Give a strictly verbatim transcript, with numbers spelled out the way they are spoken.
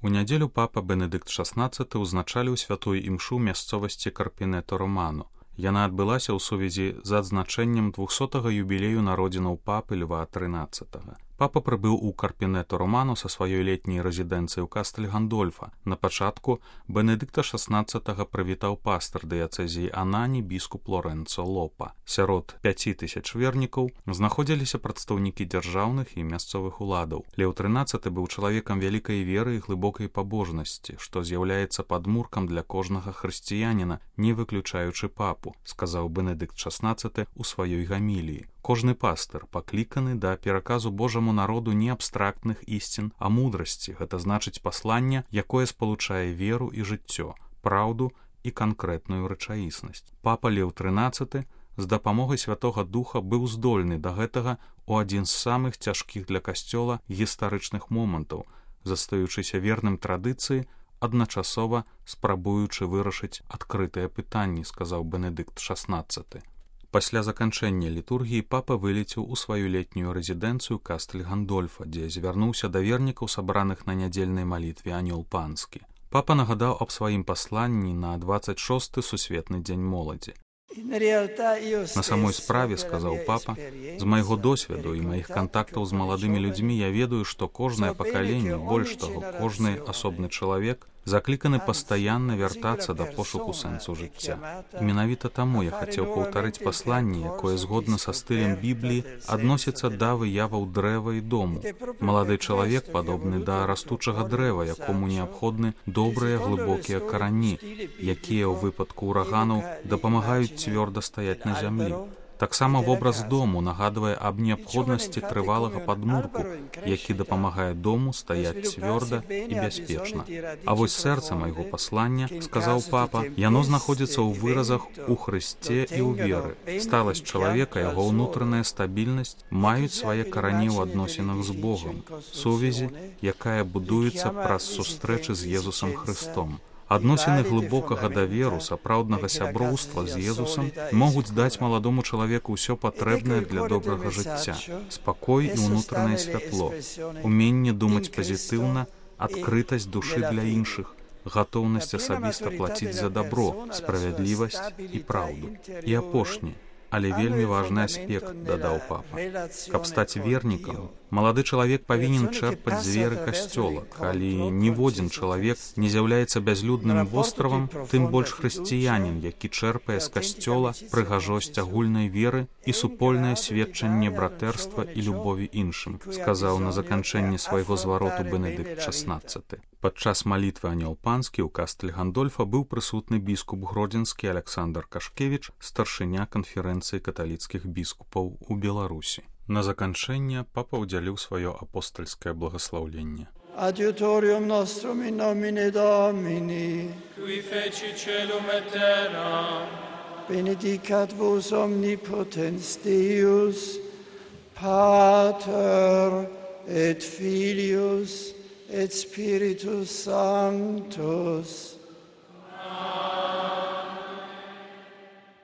У нядзелю папа Бенедыкт шаснаццаты ўзначаліў святую імшу мясцовасці Карпінето-Романо. Яна адбылася ў сувязі з адзначэннем двухсотага юбілею народзінаў папы Льва трынаццатага. Папа прыбыў у Карпінето-Романо са сваёй летняй рэзідэнцыі ў Кастэль-Гандольфа. На пачатку Бенедыкта шаснаццатага прывітаў пастар дыяцэзіі Анані біскуп Лорэнцо Лопа. Сярод пяці тысяч вернікаў знаходзіліся прадстаўнікі дзяржаўных і мясцовых уладаў. Леў трынаццаты быў чалавекам вялікай веры і глыбокай пабожнасці, што з'яўляецца падмуркам для кожнага хрысціяніна, не выключаючы папу, сказаў Бенедыкт шаснаццаты ў сваёй гаміліі. Кожны пастыр пакліканы да пераказу Божаму народу не абстрактных ісцін, а мудрасці, гэта значыць паслання, якое спалучае веру і жыццё, праўду і канкрэтную рэчаіснасць. Папа Леў трынаццаты з дапамогай Святога Духа быў здольны да гэтага ў адзін з самых цяжкіх для касцёла гістарычных момантаў, застаючыся верным традыцыі, адначасова спрабуючы вырашыць адкрытыя пытанні, сказаў Бенедыкт шаснаццаты. Пасля заканчэння літургіі папа вылецеў у сваю летнюю рэзідэнцыю Кастэль-Гандольфа, дзе звярнуўся да вернікаў, сабраных на нядзельнай малітве Анёл панскі. Папа нагадаў аб сваім пасланні на дваццаць шосты сусветны дзень моладзі. На самой справе, сказаў папа, з майго досведу і маіх кантактаў з маладымі людзьмі я ведаю, што кожнае пакаленне, больш таго, кожны асобны чалавек закліканы пастаянна вяртацца да пошуку сэнсу жыцця. І менавіта таму я хацеў паўтарыць пасланне, якое згодна са стылем Бібліі адносіцца да выяваў дрэва і дому. Малады чалавек падобны да растучага дрэва, якому неабходны добрыя глыбокія карані, якія ў выпадку ураганаў дапамагаюць цвёрда стаяць на зямлі. Таксама вобраз дому нагадвае аб неабходнасці трывалага падмурку, які дапамагае дому стаяць цвёрда і бяспечна. А вось сэрца майго паслання, сказаў папа, яно знаходзіцца ў выразах у Хрысце і ў веры. Сталасць чалавека, яго ўнутраная стабільнасць маюць свае карані ў адносінах з Богам, сувязі, якая будуецца праз сустрэчы з Езусам Хрыстом. Адносіны глыбокага даверу, сапраўднага сяброўства з Езусам могуць даць маладому чалавеку ўсё патрэбнае для добрага жыцця, спакой і ўнутранае святло, уменне думаць пазітыўна, адкрытасць душы для іншых, гатоўнасць асабіста плаціць за дабро, справядлівасць і праўду. І апошні, але вельмі важны аспект, дадаў папа. Каб стаць вернікам, малады чалавек павінен чэрпаць з веры касцёла. Калі ніводзін чалавек не з'яўляецца бязлюдным востравам, тым больш хрысціянін, які чэрпае з касцёла прыгажосць агульнай веры і супольнае сведчанне братэрства і любові іншым, сказаў на заканчэнні свайго звароту Бенедыкт шаснаццаты. Падчас малітвы Анёл панскі ў Кастэль-Гандольфа быў прысутны біскуп гродзенскі Аляксандр Кашкевіч, старшыня канферэнцыі каталіцкіх біскупаў у Беларусі. На заканчэнне папа ўдзяліў сваё апостальскае благаслаўленне. Adiutorium nostrum in nomine Domini, qui feci celum et terra, benedicat vos omnipotens Deus, Pater et Filius et Spiritus Sanctus,